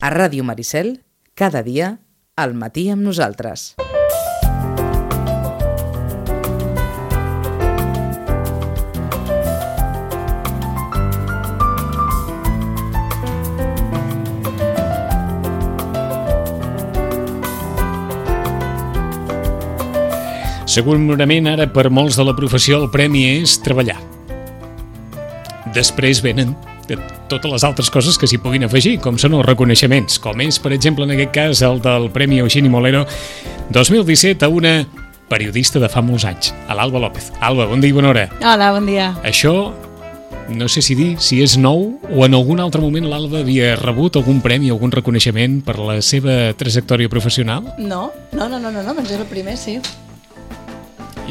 A Ràdio Maricel, cada dia, al matí amb nosaltres. Segurament ara per molts de la professió el premi és treballar. Després venen totes les altres coses que s'hi puguin afegir, com són els reconeixements, com és, per exemple, en aquest cas, el del Premi Eugeni Molero 2017 a una periodista de fa molts anys, a l'Alba López. Alba, bon dia i bona hora. Hola, bon dia. Això, no sé si dir si és nou o en algun altre moment l'Alba havia rebut algun premi, algun reconeixement per la seva trajectòria professional? No, doncs és el primer, sí.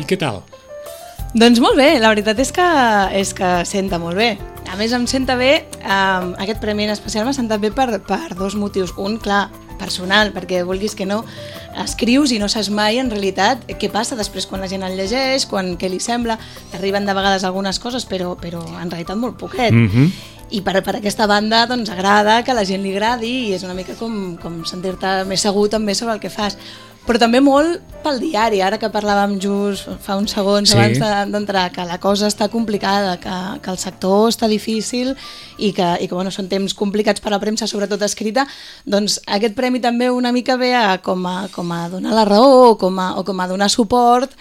I què tal? Doncs molt bé, la veritat és que senta molt bé. A més, em senta bé, aquest premi en especial m'ha sentat bé per dos motius. Un, clar, personal, perquè vulguis que no, escrius i no saps mai en realitat què passa després quan la gent el llegeix, què li sembla, t'arriben de vegades algunes coses, però en realitat molt poquet. I per aquesta banda doncs agrada que a la gent li agradi i és una mica com sentir-te més segur també sobre el que fas. Però també molt pel diari, ara que parlàvem just fa uns segons abans d'entrar, que la cosa està complicada, que el sector està difícil i que bueno, són temps complicats per a la premsa, sobretot escrita, doncs aquest premi també una mica ve com a donar la raó o com a donar suport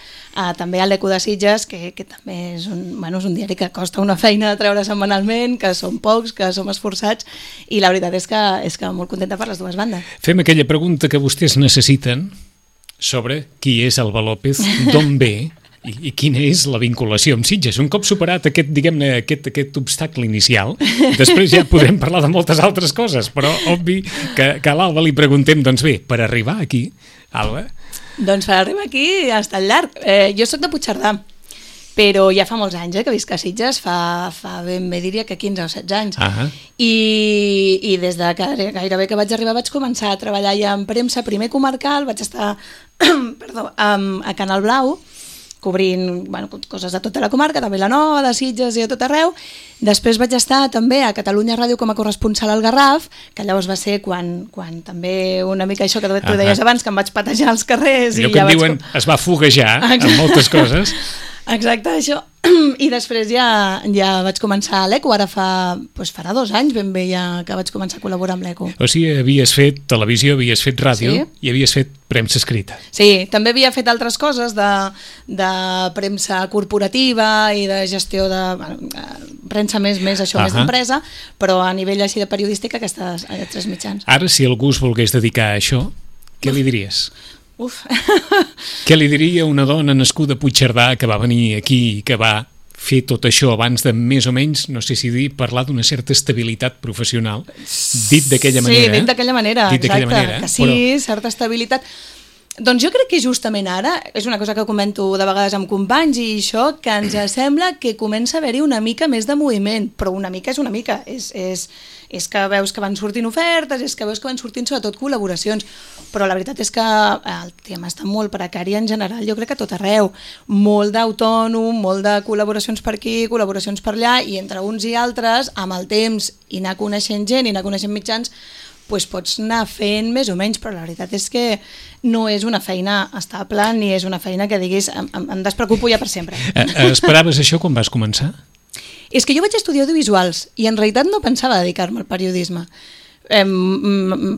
també a l'Eco de Sitges, que també és un diari que costa una feina de treure setmanalment, que som pocs, que som esforçats, i la veritat és que molt contenta per les dues bandes. Fem aquella pregunta que vostès necessiten sobre qui és Alba López, d'on ve i quina és la vinculació amb Sitges. Un cop superat aquest obstacle inicial, després ja podrem parlar de moltes altres coses, però obvi que a l'Alba li preguntem, doncs bé, per arribar aquí, Alba? Doncs per arribar aquí ha estat llarg. Jo soc de Puigcerdà, però ja fa molts anys que visc a Sitges, fa ben bé diria que 15 o 16 anys. I des de gairebé que vaig arribar vaig començar a treballar ja en premsa, primer comarcal, vaig estar a Canal Blau, cobrint coses de tota la comarca, de Vilanova, de Sitges i de tot arreu. Després vaig estar també a Catalunya Ràdio com a corresponsal al Garraf, que llavors va ser quan també una mica això que tu deies abans, que em vaig patejar als carrers. Allò que diuen es va foguejar amb moltes coses. Exacte, això. I després ja vaig començar a l'Eco, ara farà 2 anys ben bé ja que vaig començar a col·laborar amb l'Eco. O sigui, havies fet televisió, havies fet ràdio i havies fet premsa escrita. Sí, també havia fet altres coses de premsa corporativa i de gestió de premsa més d'empresa, però a nivell així de periodística aquests 3 mitjans. Ara, si algú es volgués dedicar a això, què li diries? Uf. Què li diria una dona nascuda a Puigcerdà que va venir aquí i que va fer tot això abans de més o menys, no sé si dir, parlar d'una certa estabilitat professional, dit d'aquella manera? Sí, dit d'aquella manera, exacte, que sí, certa estabilitat. Doncs jo crec que justament ara, és una cosa que comento de vegades amb companys i això, que ens sembla que comença a haver-hi una mica més de moviment, però una mica és una mica, és que veus que van sortint ofertes, és que veus que van sortint sobretot col·laboracions, però la veritat és que el tema està molt precari en general, jo crec que a tot arreu, molt d'autònom, molt de col·laboracions per aquí, col·laboracions per allà, i entre uns i altres, amb el temps, i anar coneixent gent, i anar coneixent mitjans, doncs pots anar fent més o menys, però la veritat és que no és una feina estable ni és una feina que diguis em despreocupo ja per sempre. Esperaves això quan vas començar? És que jo vaig estudiar audiovisuals i en realitat no pensava dedicar-me al periodisme.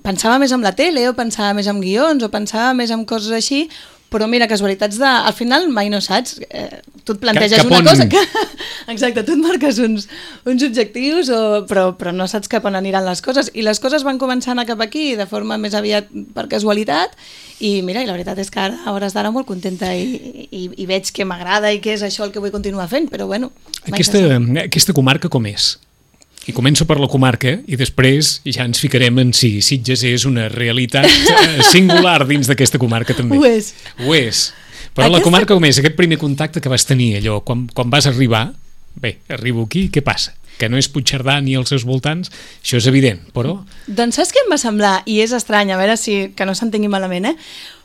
Pensava més en la tele o pensava més en guions o pensava més en coses així, però mira, casualitats al final mai no saps, tu et planteges una cosa exacte, tu et marques uns objectius però no saps cap on aniran les coses i les coses van començar a anar cap aquí de forma més aviat per casualitat i mira, i la veritat és que ara, a hores d'ara molt contenta i veig que m'agrada i que és això el que vull continuar fent, però bueno. Aquesta comarca com és? I començo per la comarca i després ja ens ficarem en si Sitges és una realitat singular dins d'aquesta comarca també. Ho és. Ho és. Però la comarca com és? Aquest primer contacte que vas tenir allò, quan vas arribar, bé, arribo aquí, què passa? Que no és Puigcerdà ni els seus voltants, això és evident, però... Doncs saps què em va semblar? I és estrany, a veure que no s'entengui malament,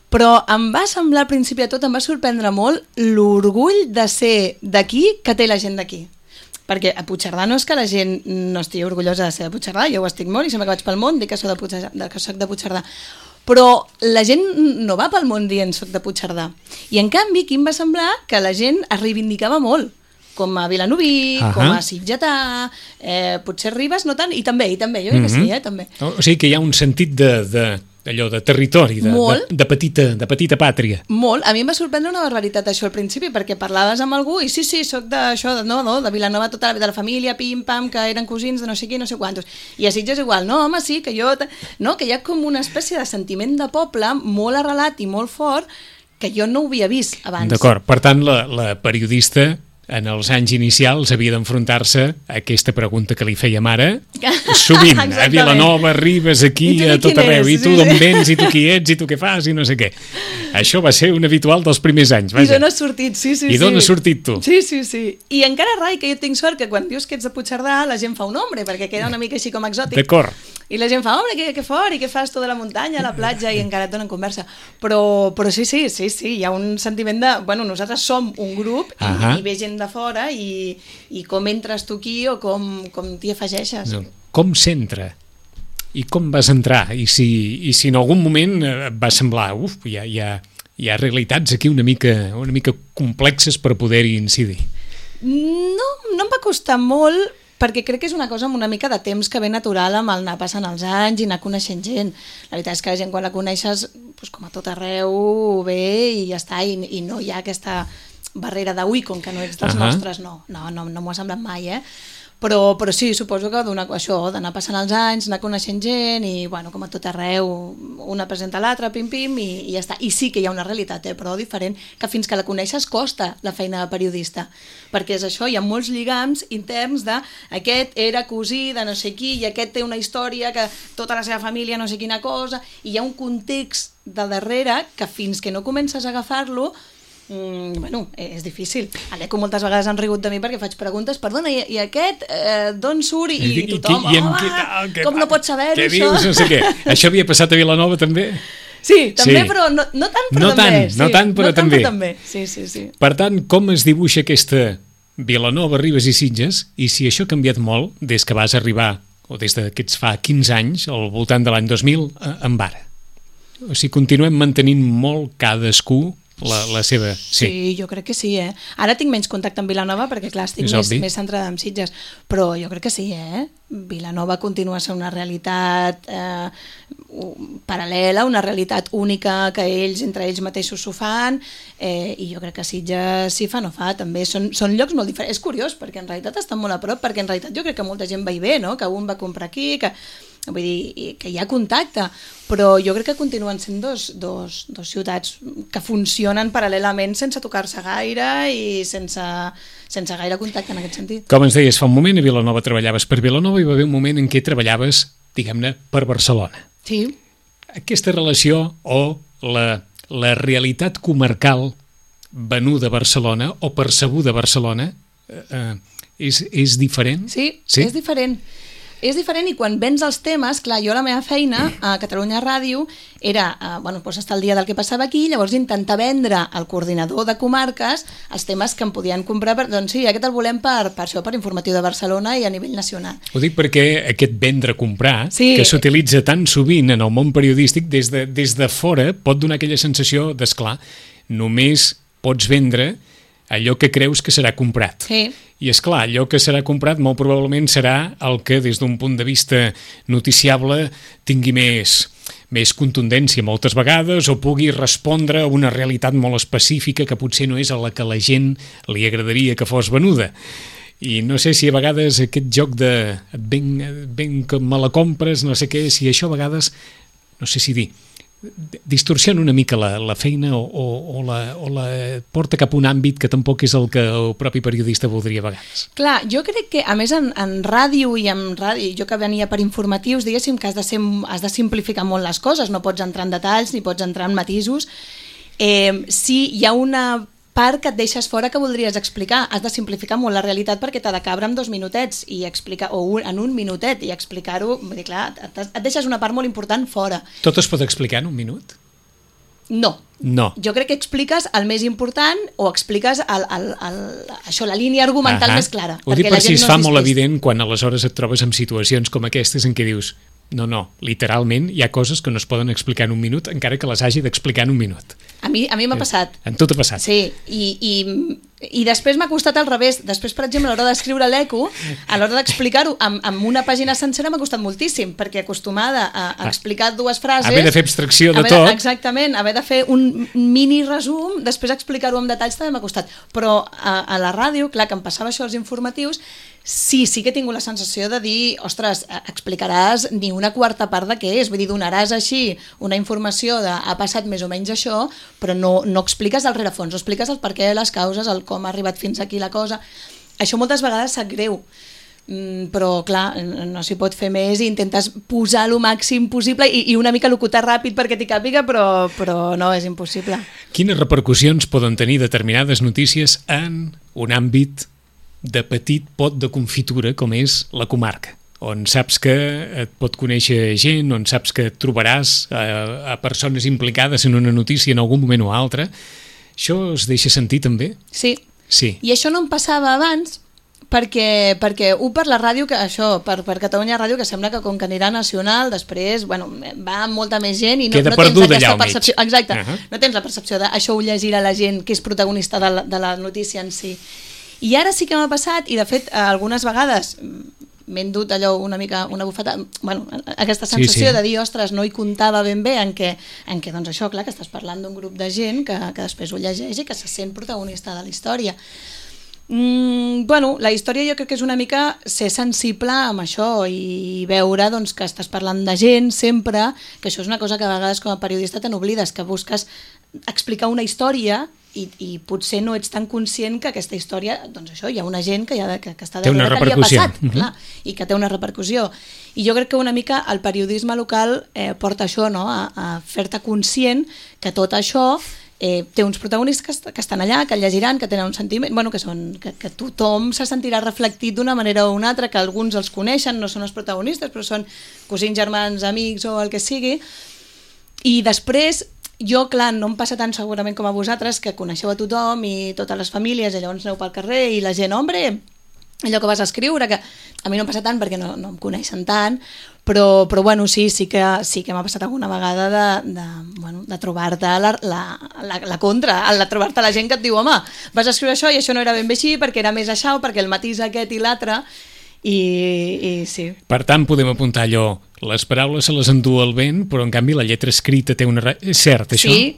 però em va semblar al principi de tot, em va sorprendre molt l'orgull de ser d'aquí que té la gent d'aquí. perquè a Puigcerdà no és que la gent no estigui orgullosa de ser de Puigcerdà, jo ho estic molt i sempre que vaig pel món dic que soc de Puigcerdà, però la gent no va pel món dient soc de Puigcerdà. I en canvi aquí em va semblar que la gent es reivindicava molt, com a Vilanoví, com a Sitgetà, potser Ribes no tant, i també, jo crec que sí, també. O sigui que hi ha un sentit d'allò de territori, de petita pàtria. Molt. A mi em va sorprendre una barbaritat això al principi, perquè parlaves amb algú i sí, soc d'això, de Vilanova tota la vida, de la família, pim-pam, que eren cosins de no sé qui, no sé quantos. I a Sitges igual, no, home, sí, que jo... No, que hi ha com una espècie de sentiment de poble molt arrelat i molt fort que jo no ho havia vist abans. D'acord, per tant, la periodista en els anys inicials havia d'enfrontar-se a aquesta pregunta que li fèiem ara, sovint, a Vilanova, Ribes, aquí, a tot arreu, i tu d'on vens, i tu qui ets, i tu què fas, i no sé què. Això va ser un habitual dels primers anys. I d'on has sortit, sí. I d'on has sortit tu? Sí. I encara, Rai, que jo tinc sort que quan dius que ets de Puigcerdà, la gent fa un nombre, perquè queda una mica així com exòtic. D'acord. I la gent fa, home, que fort, i què fas tu de la muntanya, a la platja, i encara et donen conversa. Però sí, hi ha un sentiment de... Bueno, nosaltres som un grup i ve gent de fora i com entres tu aquí o com t'hi afegeixes. Com s'entra? I com vas entrar? I si en algun moment et va semblar, hi ha realitats aquí una mica complexes per poder-hi incidir? No em va costar molt, perquè crec que és una cosa amb una mica de temps que ve natural amb el anar passant els anys i anar coneixent gent. La veritat és que la gent quan la coneixes, doncs com a tot arreu, ve i ja està, i no hi ha aquesta barrera de ui, com que no ets dels nostres, no m'ho ha semblat mai, Però sí, suposo que això, d'anar passant els anys, anar coneixent gent i, bueno, com a tot arreu, una presenta l'altra, pim-pim, i ja està. I sí que hi ha una realitat, però diferent, que fins que la coneixes costa la feina de periodista. Perquè és això, hi ha molts lligams interns de aquest era cosí de no sé qui i aquest té una història que tota la seva família no sé quina cosa, i hi ha un context de darrere que fins que no comences a agafar-lo bueno, és difícil. L'Eco moltes vegades han rigut de mi perquè faig preguntes, perdona, i aquest d'on surt? I tothom, com no pots saber-ho, això? Què dius? No sé què. Això havia passat a Vilanova també? Sí, també, però no tant, però també. No tant, però també. Sí. Per tant, com es dibuixa aquesta Vilanova, Ribes i Sitges, i si això ha canviat molt des que vas arribar, o des que ets fa 15 anys, al voltant de l'any 2000, amb ara? O sigui, continuem mantenint molt cadascú la seva... Sí, jo crec que sí, Ara tinc menys contacte amb Vilanova perquè, clar, estic més centrada en Sitges, però jo crec que sí, Vilanova continua sent una realitat paral·lela, una realitat única que entre ells mateixos s'ho fan, i jo crec que Sitges si fa no fa, també són llocs molt diferents. És curiós, perquè en realitat estan molt a prop, perquè en realitat jo crec que molta gent va i ve, no? Que un va comprar aquí, vull dir, que hi ha contacte, però jo crec que continuen sent dos ciutats que funcionen paral·lelament sense tocar-se gaire i sense gaire contacte en aquest sentit. Com ens deies fa un moment, a Vilanova treballaves per Vilanova i va haver un moment en què treballaves, diguem-ne, per Barcelona. Sí. Aquesta relació o la realitat comarcal venuda a Barcelona o percebuda a Barcelona és diferent? Sí, és diferent. És diferent i quan vens els temes, clar, jo la meva feina a Catalunya Ràdio era, estar al dia del que passava aquí, llavors intentar vendre al coordinador de comarques els temes que em podien comprar, doncs sí, aquest el volem per informatiu de Barcelona i a nivell nacional. Ho dic perquè aquest vendre-comprar, que s'utilitza tan sovint en el món periodístic, des de fora pot donar aquella sensació d'esclar, només pots vendre allò que creus que serà comprat. Sí. I és clar, allò que serà comprat molt probablement serà el que des d'un punt de vista noticiable tingui més contundència moltes vegades o pugui respondre a una realitat molt específica que potser no és a la que la gent li agradaria que fos venuda. I no sé si a vegades aquest joc de ben que me la compres, no sé què, si això a vegades, no sé si dir, distorsiona una mica la feina o la porta cap a un àmbit que tampoc és el que el propi periodista voldria a vegades. Clar, jo crec que, a més, en ràdio i jo que venia per informatius, diguéssim que has de simplificar molt les coses, no pots entrar en detalls ni pots entrar en matisos. Si hi ha una part que et deixes fora que voldries explicar, has de simplificar molt la realitat perquè t'ha de cabre en 2 minutets i explicar, o en 1 minutet i explicar-ho, vull dir, clar, et deixes una part molt important fora. Tot es pot explicar en 1 minut? No. No. Jo crec que expliques el més important o expliques això, la línia argumental més clara. Ho dic per si es fa molt evident quan aleshores et trobes en situacions com aquestes en què dius no, literalment hi ha coses que no es poden explicar en un minut encara que les hagi d'explicar en un minut. A mi m'ha passat. En tot ha passat. Sí, i després m'ha costat al revés. Després, per exemple, a l'hora d'escriure l'eco, a l'hora d'explicar-ho amb una pàgina sencera m'ha costat moltíssim, perquè acostumada a explicar dues frases... Haver de fer abstracció de tot. Exactament, haver de fer un mini resum, després explicar-ho amb detalls també m'ha costat. Però a la ràdio, clar, que em passava això als informatius, sí que he tingut la sensació de dir, ostres, explicaràs ni una quarta part de què és, vull dir, donaràs així una informació de ha passat més o menys això, però no expliques el rerefons, no expliques el perquè, les causes, el com ha arribat fins aquí la cosa. Això moltes vegades sap greu, però clar, no s'hi pot fer més i intentes posar el màxim possible i una mica locutar ràpid perquè t'hi càpiga, però no, és impossible. Quines repercussions poden tenir determinades notícies en un àmbit de petit pot de confitura com és la comarca, on saps que et pot conèixer gent, on saps que et trobaràs a persones implicades en una notícia en algun moment o altre? Això es deixa sentir també? Sí. I això no em passava abans perquè per la ràdio, que això, per Catalunya Ràdio, que sembla que com que anirà nacional, després, bueno, va amb molta més gent i no tens aquesta percepció. Exacte, no tens la percepció d'això ho llegirà la gent que és protagonista de la notícia en si. I ara sí que m'ha passat, i de fet algunes vegades m'he endut allò una mica, una bufeta, bueno, aquesta sensació de dir, ostres, no hi comptava ben bé en què doncs això, clar, que estàs parlant d'un grup de gent que després ho llegeix i que se sent protagonista de la història. Bueno, la història jo crec que és una mica ser sensible amb això i veure doncs, que estàs parlant de gent sempre, que això és una cosa que a vegades com a periodista te n'oblides, que busques explicar una història i potser no ets tan conscient que aquesta història, doncs això, hi ha una gent que està darrere que li ha passat, clar, i que té una repercussió. I jo crec que una mica el periodisme local porta això, no? A fer-te conscient que tot això té uns protagonistes que estan allà, que el llegiran, que tenen un sentiment, bueno, que tothom se sentirà reflectit d'una manera o una altra, que alguns els coneixen, no són els protagonistes, però són cosins, germans, amics o el que sigui. I després jo, clar, no em passa tant segurament com a vosaltres, que coneixeu a tothom i totes les famílies, i llavors aneu pel carrer i la gent, hombre, allò que vas a escriure, que a mi no em passa tant perquè no em coneixen tant, però bueno, sí que m'ha passat alguna vegada de trobar-te la contra, de trobar-te la gent que et diu, home, vas a escriure això i això no era ben bé així perquè era més això, perquè el matís aquest i l'altre, i sí. Per tant, podem apuntar allò, les paraules se les endú el vent, però en canvi la lletra escrita té una... És cert, això? Sí,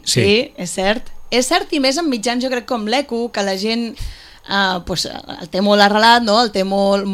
és cert. És cert, i més en mitjans, jo crec, com l'Eco, que la gent el té molt arrelat, no? El té molt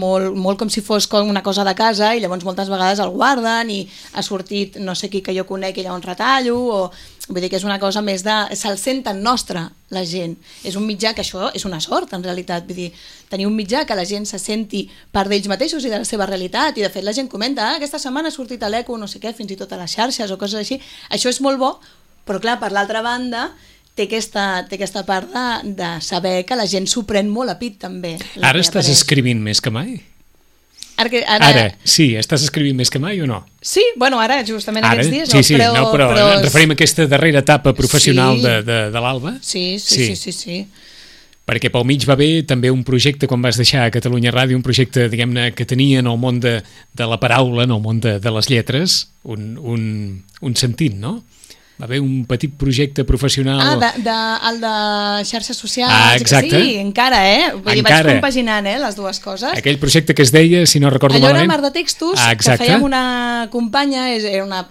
com si fos una cosa de casa, i llavors moltes vegades el guarden i ha sortit no sé qui que jo conec i llavors retallo, o vull dir que és una cosa més de... se'l senten nostre, la gent. És un mitjà que això és una sort, en realitat. Vull dir, tenir un mitjà que la gent se senti part d'ells mateixos i de la seva realitat, i de fet la gent comenta, aquesta setmana ha sortit a l'Eco, no sé què, fins i tot a les xarxes o coses així. Això és molt bo, però clar, per l'altra banda, té aquesta part de saber que la gent s'ho pren molt a pit, també. Ara estàs escrivint més que mai? Ara, sí, estàs escrivint més que mai o no? Sí, bueno, ara justament aquests dies no, però ens referim a aquesta darrera etapa professional de l'Alba? Sí. Perquè pel mig va haver també un projecte, quan vas deixar a Catalunya Ràdio, un projecte, diguem-ne, que tenia en el món de la paraula, en el món de les lletres, un sentit, no? Va haver un petit projecte professional... el de xarxes socials. Exacte. Sí, encara, Vull dir, vaig compaginant, les dues coses. Aquell projecte que es deia, si no recordo malament... Allò era Mar de Textos, que fèiem una companya, era una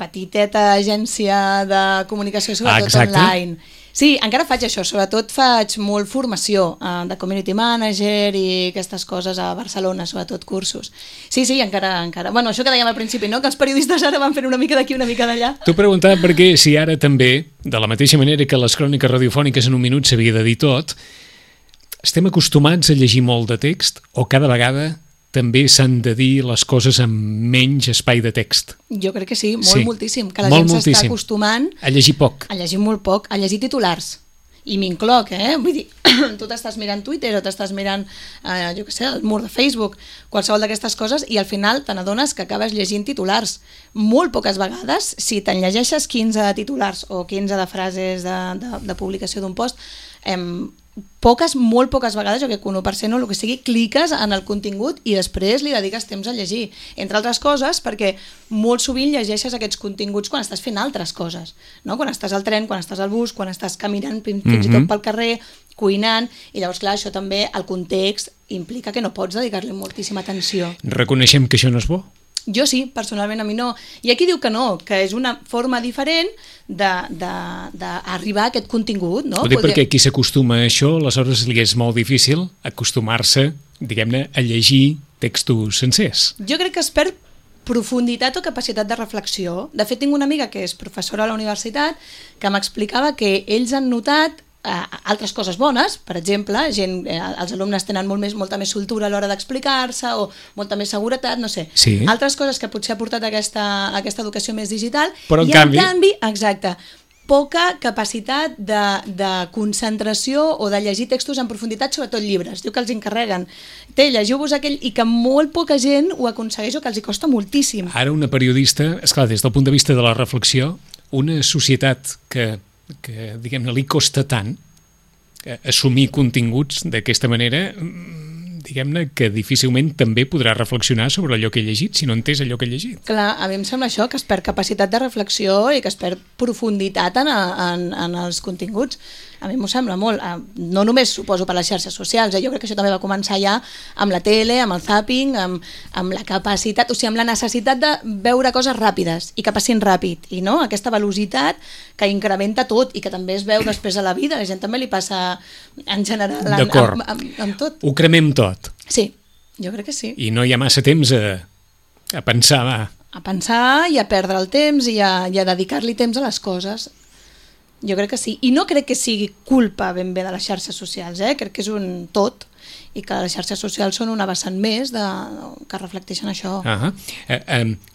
petiteta agència de comunicació, sobretot online. Sí, encara faig això, sobretot faig molt formació de community manager i aquestes coses a Barcelona, sobretot cursos. Sí, encara. Bueno, això que dèiem al principi, no? Que els periodistes ara van fent una mica d'aquí, una mica d'allà. T'ho preguntava perquè si ara també, de la mateixa manera que les cròniques radiofòniques en un minut s'havia de dir tot, estem acostumats a llegir molt de text o cada vegada també s'han de dir les coses amb menys espai de text? Jo crec que sí, moltíssim, que la gent s'està acostumant a llegir poc. A llegir molt poc, a llegir titulars. i m'incloc, vull dir, tu t'estàs mirant Twitter o t'estàs mirant, jo què sé, el mur de Facebook, qualsevol d'aquestes coses, i al final te n'adones que acabes llegint titulars. Molt poques vegades, si te'n llegeixes 15 titulars o 15 de frases de publicació d'un post, molt poques vegades, jo crec que 1% o el que sigui, cliques en el contingut i després li dediques temps a llegir. Entre altres coses, perquè molt sovint llegeixes aquests continguts quan estàs fent altres coses, no? Quan estàs al tren, quan estàs al bus, quan estàs caminant fins i tot pel carrer, cuinant, i llavors, clar, això també, el context, implica que no pots dedicar-li moltíssima atenció. Reconeixem que això no és bo? Jo sí, personalment a mi no. I aquí diu que no, que és una forma diferent d'arribar a aquest contingut, no? Ho dic perquè qui s'acostuma a això, aleshores li és molt difícil acostumar-se, diguem-ne, a llegir textos sencers. Jo crec que es perd profunditat o capacitat de reflexió. De fet, tinc una amiga que és professora a la universitat que m'explicava que ells han notat altres coses bones, per exemple, els alumnes tenen molta més soltura a l'hora d'explicar-se o molta més seguretat, no sé. Sí. Altres coses que potser ha portat aquesta educació més digital. Però en canvi, exacte, poca capacitat de concentració o de llegir textos en profunditat, sobretot llibres. Diu que els encarreguen. Llegiu-vos aquell, i que molt poca gent ho aconsegueix o que els hi costa moltíssim. Ara una periodista, esclar, des del punt de vista de la reflexió, una societat que diguem-ne, li costa tant assumir continguts d'aquesta manera, diguem-ne, que difícilment també podrà reflexionar sobre allò que he llegit, si no entès allò que he llegit. Clar, a mi em sembla això, que es perd capacitat de reflexió i que es perd profunditat en els continguts. A mi m'ho sembla molt. No només suposo per les xarxes socials, jo crec que això també va començar ja amb la tele, amb el zapping, amb la capacitat, o sigui, amb la necessitat de veure coses ràpides i que passin ràpid, i no? Aquesta velocitat que incrementa tot i que també es veu després a la vida, a la gent també li passa en general amb tot. Ho cremem tot. Sí, jo crec que sí. I no hi ha massa temps a pensar. A pensar i a perdre el temps i a dedicar-li temps a les coses. Jo crec que sí. I no crec que sigui culpa ben bé de les xarxes socials, crec que és un tot, i que les xarxes socials són una vessant més que reflecteixen això.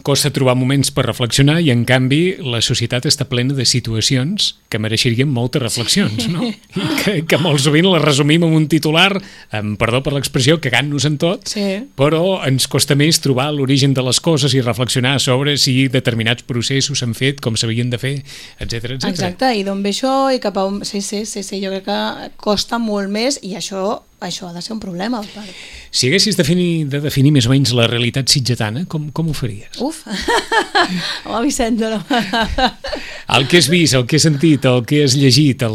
Costa trobar moments per reflexionar i, en canvi, la societat està plena de situacions que mereixerien moltes reflexions, no? I que molt sovint les resumim en un titular, perdó per l'expressió, cagant-nos en tot, però ens costa més trobar l'origen de les coses i reflexionar sobre si determinats processos s'han fet com s'havien de fer, etc. Exacte, i d'on ve això i cap a on... Sí, jo crec que costa molt més, i això ha de ser un problema. Si haguessis de definir més o menys la realitat sitgetana, com ho faries? Uf! Home, Vicent, no. El que has vist, el que has sentit, el que has llegit,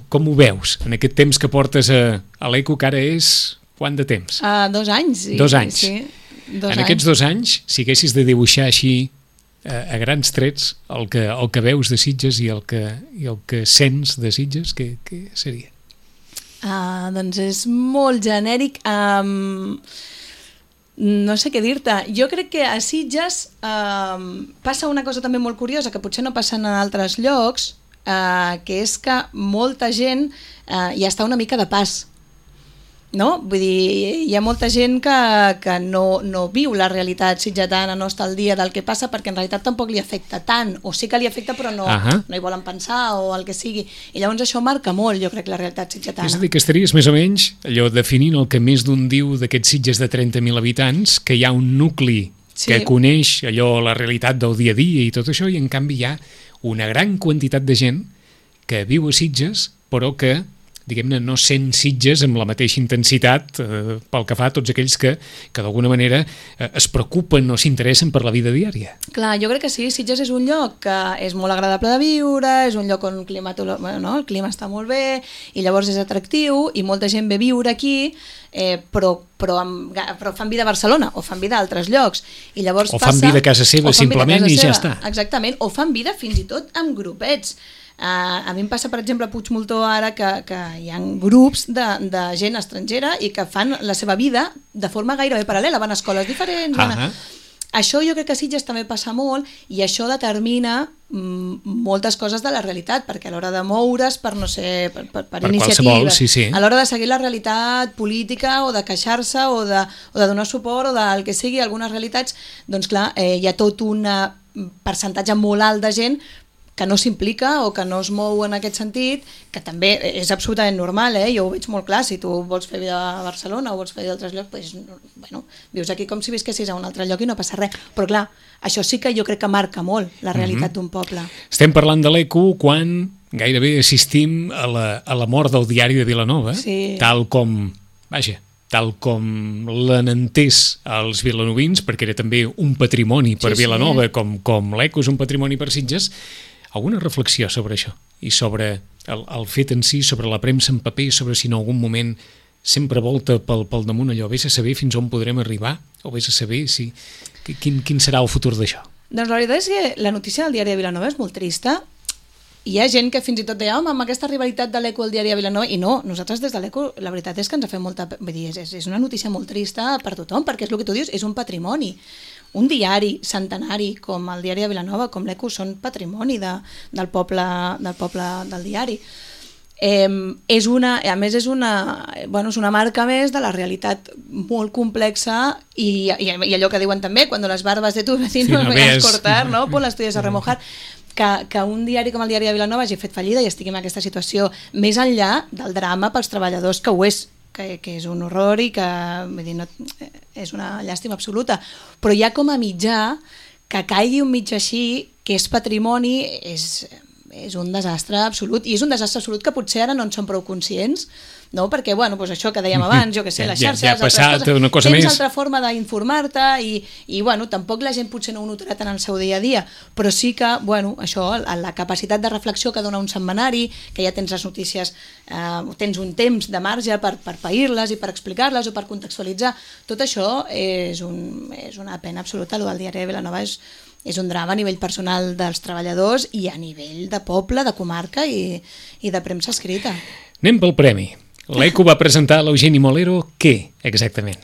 com ho veus en aquest temps que portes a l'Eco, que ara és... Quant de temps? 2 anys. 2 anys. Sí, 2 anys. En aquests 2 anys, si haguessis de dibuixar així a grans trets el que veus de Sitges i el que sents de Sitges, què seria? Doncs és molt genèric. No sé què dir-te. Jo crec que a Sitges passa una cosa també molt curiosa, que potser no passa en altres llocs, que és que molta gent ja està una mica de pas. No? Vull dir, hi ha molta gent que no viu la realitat sitgetana, no està al dia del que passa, perquè en realitat tampoc li afecta tant, o sí que li afecta però no hi volen pensar o el que sigui, i llavors això marca molt, jo crec, la realitat sitgetana. És a dir, que estaries més o menys allò definint el que més d'un diu d'aquests Sitges de 30.000 habitants, que hi ha un nucli que coneix allò, la realitat del dia a dia i tot això, i en canvi hi ha una gran quantitat de gent que viu a Sitges però que diguem-ne, no sent Sitges amb la mateixa intensitat pel que fa a tots aquells que d'alguna manera es preocupen o s'interessen per la vida diària. Clar, jo crec que sí, Sitges és un lloc que és molt agradable de viure, és un lloc on el clima està molt bé i llavors és atractiu i molta gent ve a viure aquí, però fan vida a Barcelona o fan vida a altres llocs. I llavors fan vida a casa seva simplement i ja està. Exactament, o fan vida fins i tot amb grupets. A mi em passa, per exemple, a Puigmoltó ara que hi ha grups de gent estrangera i que fan la seva vida de forma gairebé paral·lela, van a escoles diferents. Això jo crec que a Sitges també passa molt i això determina moltes coses de la realitat, perquè a l'hora de moure's per iniciativa, a l'hora de seguir la realitat política o de queixar-se o de donar suport o del que sigui, algunes realitats, doncs clar, hi ha tot un percentatge molt alt de gent que no s'implica o que no es mou en aquest sentit, que també és absolutament normal, jo ho veig molt clar, si tu vols fer vida a Barcelona o vols fer vida a altres llocs, doncs, bueno, vius aquí com si visquessis a un altre lloc i no passa res, però clar, això sí que jo crec que marca molt la realitat d'un poble. Estem parlant de l'ECO quan gairebé assistim a la mort del diari de Vilanova, tal com l'han entès els vilanovins, perquè era també un patrimoni per Vilanova, com l'ECO és un patrimoni per Sitges. Alguna reflexió sobre això i sobre el fet en si, sobre la premsa en paper, sobre si en algun moment sempre volta pel damunt allò, vés a saber fins on podrem arribar o vés a saber quin serà el futur d'això? Doncs la veritat és que la notícia del diari de Vilanova és molt trista. Hi ha gent que fins i tot deia, amb aquesta rivalitat de l'ECO al diari de Vilanova, i no, nosaltres des de l'ECO la veritat és que ens ha fet molta... Vull dir, és una notícia molt trista per tothom, perquè és el que tu dius, és un patrimoni. Un diari centenari com el diari de Vilanova, com l'ECO, són patrimoni del poble del diari. A més és una marca més de la realitat molt complexa i allò que diuen també, quan les barbas de tu vecino no veas cortar, no? Pues las tuyas a remojar. Que un diari com el diari de Vilanova hagi fet fallida i estigui en aquesta situació més enllà del drama pels treballadors, que ho és, que és un horror i que és una llàstima absoluta, però ja com a mitjà que caigui un mitjà així, que és patrimoni, és un desastre absolut, i és un desastre absolut que potser ara no en som prou conscients, no? Perquè, doncs això que dèiem abans, jo que sé, les xarxes, ja ha passat una cosa més. Tens altra forma d'informar-te i tampoc la gent potser no ho notarà tant en el seu dia a dia, però sí que, això, la capacitat de reflexió que dona un setmanari, que ja tens les notícies, tens un temps de marge per pair-les i per explicar-les o per contextualitzar, tot això és una pena absoluta. El del diari de Vilanova és un drama a nivell personal dels treballadors i a nivell de poble, de comarca i de premsa escrita. Anem pel premi. L'ECO va presentar a l'Eugeni Molero què, exactament?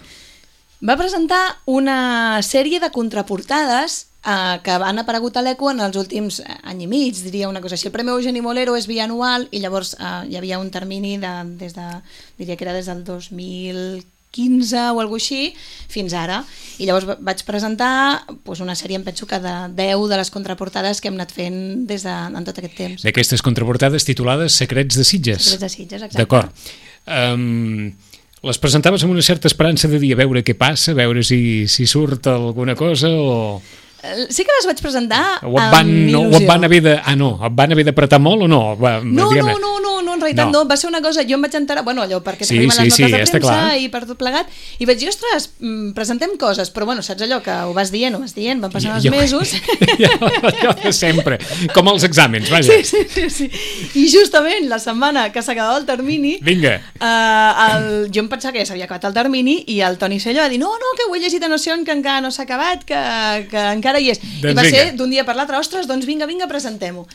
Va presentar una sèrie de contraportades que han aparegut a l'ECO en els últims any i mig, diria una cosa així. El Premi Eugeni Molero és bianual i llavors hi havia un termini diria que era des del 2015 o alguna així, fins ara. I llavors vaig presentar una sèrie, em penso que de 10 de les contraportades que hem anat fent en tot aquest temps. D'aquestes contraportades titulades Secrets de Sitges. Secrets de Sitges, exacte. D'acord. Les presentaves amb una certa esperança de dir a veure què passa, a veure si surt alguna cosa o... Sí que les vaig presentar amb il·lusió. Et van haver d'apretar molt o no? No, en realitat no. Va ser una cosa, jo em vaig enterar, allò perquè t'arriben les notes de premsa i per tot plegat, i vaig dir, ostres, presentem coses, però saps allò que ho vas dient, van passant els mesos. Allò de sempre, com els exàmens, vaja. Sí. I justament la setmana que s'acabava el termini, vinga. Jo em pensava que ja s'havia acabat el termini i el Toni Sello va dir, no, que ho he llegit a Noción, que encara no s'ha acabat, que encara hi és. I va ser d'un dia per l'altre, ostres, doncs vinga, presentem-ho.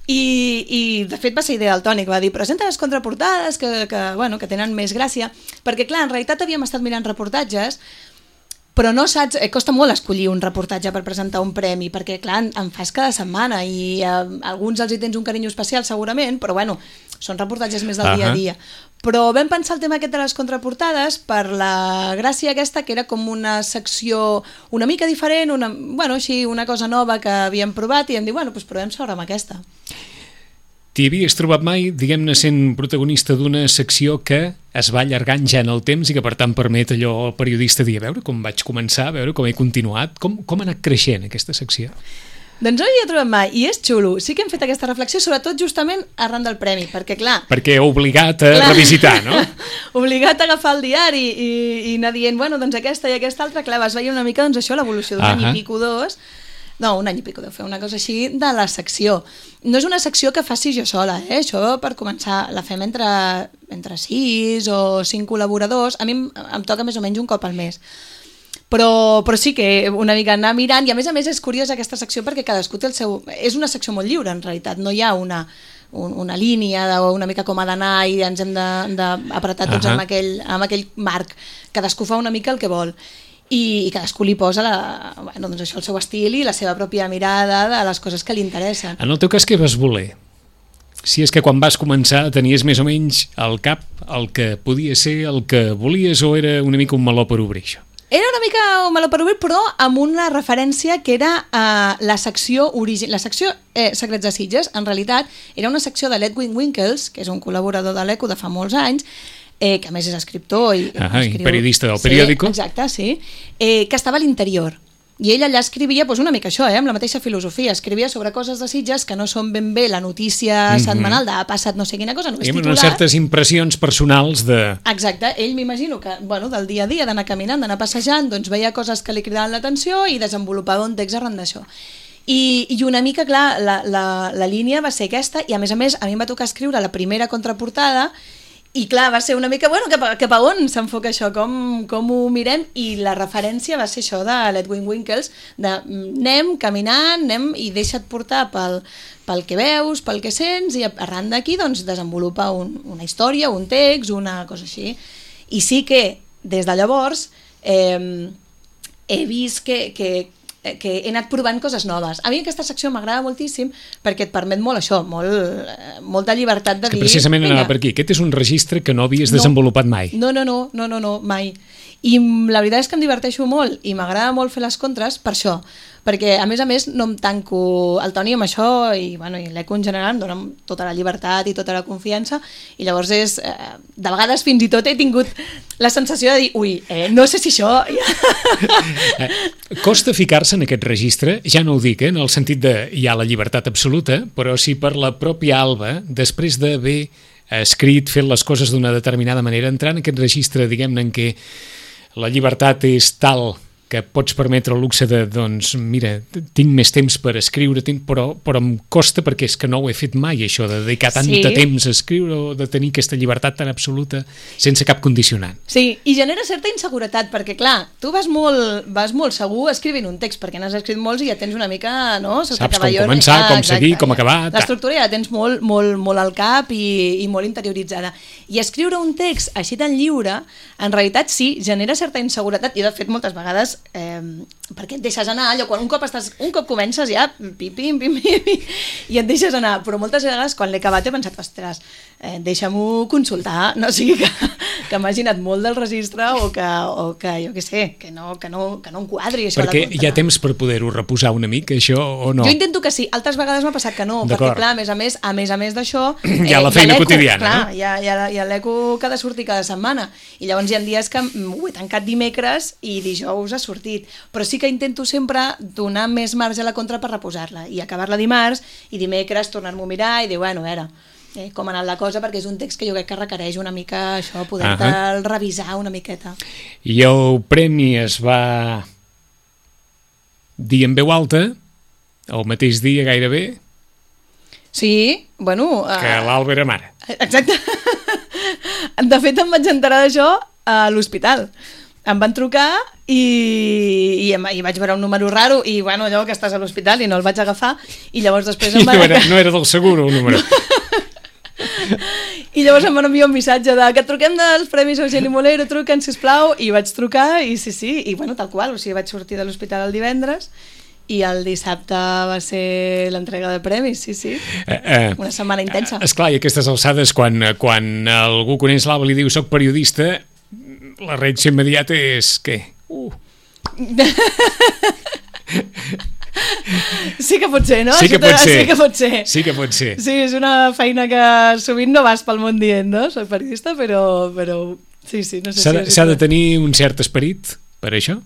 I de fet va ser idea del Toni, que va dir presenta les contraportades que tenen més gràcia, perquè clar, en realitat havíem estat mirant reportatges, però no saps, costa molt escollir un reportatge per presentar un premi, perquè clar, en fas cada setmana i alguns els hi tens un carinyo especial segurament, però són reportatges més del dia a dia. Però vam pensar el tema aquest de les contraportades per la gràcia aquesta, que era com una secció una mica diferent, una cosa nova que havíem provat i vam dir, provem sobre amb aquesta. T'hi havies trobat mai, diguem-ne, sent protagonista d'una secció que es va allargant ja en el temps i que per tant permet allò al periodista dir, a veure com vaig començar, a veure com he continuat, com ha anat creixent aquesta secció? Doncs no hi he trobat mai, i és xulo. Sí que hem fet aquesta reflexió, sobretot justament arran del premi, perquè clar... Perquè obligat a revisitar, no? Obligat a agafar el diari i anar dient, doncs aquesta i aquesta altra, clar, vas veient una mica això, l'evolució d'un any i pico, dos... No, un any i pico deu fer una cosa així de la secció. No és una secció que faci jo sola, això per començar la fem entre 6 o 5 col·laboradors, a mi em toca més o menys un cop al mes. Però sí que una mica anar mirant, i a més és curiosa aquesta secció perquè cadascú té el seu... És una secció molt lliure en realitat, no hi ha una línia una mica com ha d'anar i ens hem d'apretar tots amb aquell marc. Cadascú fa una mica el que vol i cadascú li posa el seu estil i la seva pròpia mirada de les coses que li interessen. En el teu cas, què vas voler? Si és que quan vas començar tenies més o menys al cap el que podia ser, el que volies, o era una mica un meló per obrir això? Era una mica malo per obrir, però amb una referència que era la secció Secrets de Sitges. En realitat, era una secció de l'Edwin Winkles, que és un col·laborador de l'Eco de fa molts anys, que a més és escriptor i periodista del periòdico. Sí, exacte, sí. Que estava a l'interior. I ell allà escrivia una mica això, amb la mateixa filosofia. Escrivia sobre coses de Sitges que no són ben bé la notícia setmanal de ha passat no sé quina cosa, només titular. Unes certes impressions personals de... Exacte, ell m'imagino que del dia a dia, d'anar caminant, d'anar passejant, doncs veia coses que li cridaven l'atenció i desenvolupava un text arran d'això. I una mica, clar, la línia va ser aquesta, i a mi em va tocar escriure la primera contraportada. I clar, va ser una mica, cap a on s'enfoca això, com ho mirem, i la referència va ser això de l'Edwin Winkles, de anem caminant, i deixa't portar pel que veus, pel que sents, i arran d'aquí doncs, desenvolupa una història, un text, una cosa així. I sí que, des de llavors, he vist que he anat provant coses noves. A mi aquesta secció m'agrada moltíssim perquè et permet molt això, molta llibertat de dir... Que precisament anava per aquí. Aquest és un registre que no havies desenvolupat mai. No, mai. I la veritat és que em diverteixo molt i m'agrada molt fer les contres per això, perquè a més no em tanco el Toni amb això i l'Eco en general em dona tota la llibertat i tota la confiança, i llavors de vegades fins i tot he tingut la sensació de dir, no sé si això... Costa ficar-se en aquest registre, ja no ho dic, en el sentit de hi ha la llibertat absoluta, però si per la pròpia Alba, després d'haver escrit, fet les coses d'una determinada manera, entrar en aquest registre, diguem-ne, en què la llibertat és tal que pots permetre el luxe de, doncs, mira, tinc més temps per escriure, però em costa perquè és que no ho he fet mai, això de dedicar tant de temps a escriure o de tenir aquesta llibertat tan absoluta sense cap condicionant. Sí, i genera certa inseguretat, perquè clar, tu vas molt segur escrivint un text, perquè n'has escrit molts i ja tens una mica, no? Saps com començar, com seguir, com acabar... L'estructura ja la tens molt al cap i molt interioritzada. I escriure un text així tan lliure, en realitat sí, genera certa inseguretat, i de fet moltes vegades perquè et deixes anar, allò, quan un cop comences ja pim, i et deixes anar, però moltes vegades quan l'he acabat he pensat, ostres, deixa-m'ho consultar, no sigui que m'hagi anat molt del registre o que jo què sé, que no enquadri això. Perquè hi ha temps per poder-ho reposar una mica, això, o no? Jo intento que sí, altres vegades m'ha passat que no, perquè clar, a més d'això hi ha la feina quotidiana, no? Hi ha l'Eco que ha de sortir cada setmana, i llavors hi ha dies que ho he tancat dimecres i dijous ha sortit, però sí que intento sempre donar més marge a la contra per reposar-la i acabar-la dimarts i dimecres tornar-m'ho a mirar i dir, a veure, com ha anat la cosa, perquè és un text que jo crec que requereix una mica això, poder-te'l revisar una miqueta. I el premi es va dir en veu alta el mateix dia gairebé? Sí, que l'Alba era mare. Exacte. De fet, em vaig enterar d'això a l'hospital. Em van trucar i vaig veure un número raro i allò que estàs a l'hospital i no el vaig agafar, i llavors després no era del seguro el número. I llavors em van enviar un missatge de que truquem dels Premis Eugeni Molero, truquen sisplau, i vaig trucar i sí, i tal qual, o sigui, vaig sortir de l'hospital el divendres i el dissabte va ser l'entrega de premis, sí. Una setmana intensa. Esclar, i aquestes alçades, quan algú coneix l'Alba i li diu soc periodista, la reacció immediata és què? Sí que pot ser, no? Sí que pot ser. Sí, és una feina que sovint no vas pel món dient, no? Soc periodista, però sí, no sé si... S'ha de tenir un cert esperit per això?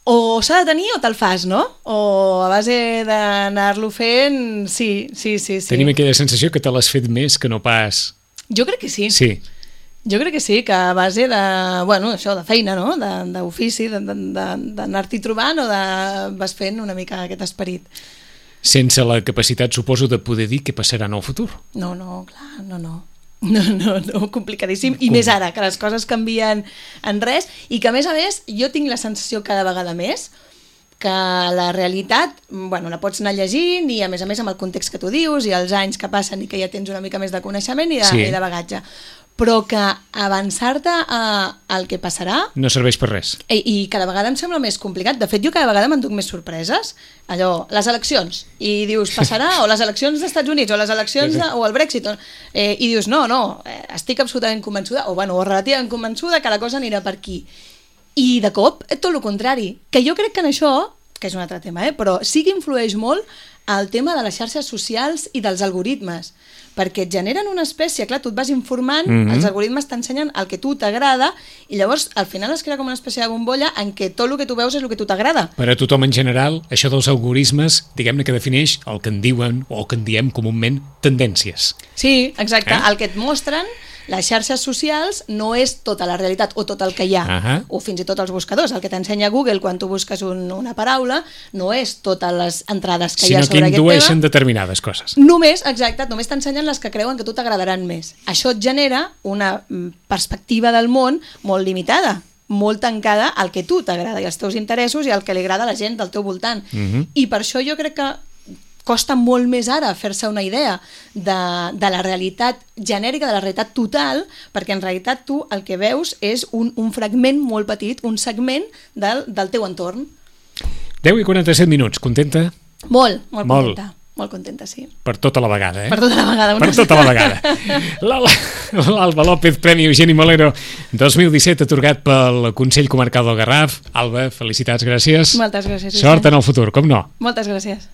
O s'ha de tenir o te'l fas, no? O a base d'anar-lo fent, sí. Tenim aquella sensació que te l'has fet més que no pas... Jo crec que sí. Sí. Jo crec que sí, que a base de, això, de feina, no? D'ofici, d'anar-t'hi trobant o vas fent una mica aquest esperit. Sense la capacitat, suposo, de poder dir què passarà en el futur. No, clar, no, complicadíssim. I més ara, que les coses canvien en res, i que a més, jo tinc la sensació cada vegada més que la realitat, la pots anar llegint i a més amb el context que tu dius i els anys que passen i que ja tens una mica més de coneixement i de bagatge, però que avançar-te al que passarà no serveix per res. I cada vegada em sembla més complicat. De fet, jo cada vegada m'enduc més sorpreses. Allò, les eleccions, i dius, passarà, o les eleccions dels Estats Units, o les eleccions o el Brexit, i dius, no, estic absolutament convençuda, o relativament convençuda que la cosa anirà per aquí. I de cop, tot el contrari. Que jo crec que en això, que és un altre tema, però sí que influeix molt el tema de les xarxes socials i dels algoritmes, perquè et generen una espècie, clar, tu et vas informant, els algoritmes t'ensenyen el que tu t'agrada, i llavors al final es crea com una espècie de bombolla en què tot el que tu veus és el que tu t'agrada. Per a tothom en general, això dels algoritmes, diguem-ne que defineix el que en diuen, o el que en diem comúment, tendències. Sí, exacte. El que et mostren les xarxes socials no és tota la realitat o tot el que hi ha, o fins i tot els buscadors. El que t'ensenya Google quan tu busques una paraula no és totes les entrades que hi ha sobre aquest tema. Sinó que indueixen determinades coses. Només, exacte, només t'ensenyen les que creuen que tu t'agradaran més. Això et genera una perspectiva del món molt limitada, molt tancada al que tu t'agrada i als teus interessos i al que li agrada a la gent del teu voltant. I per això jo crec que costa molt més ara fer-se una idea de la realitat genèrica, de la realitat total, perquè en realitat tu el que veus és un fragment molt petit, un segment del teu entorn. 10:47, contenta? Molt contenta. Molt contenta, sí. Per tota la vegada, Per tota la vegada. Per tota la vegada. L'Alba López, Premi Eugeni Molero 2017, atorgat pel Consell Comarcal del Garraf. Alba, felicitats, gràcies. Moltes gràcies. Sort en el futur, com no. Moltes gràcies.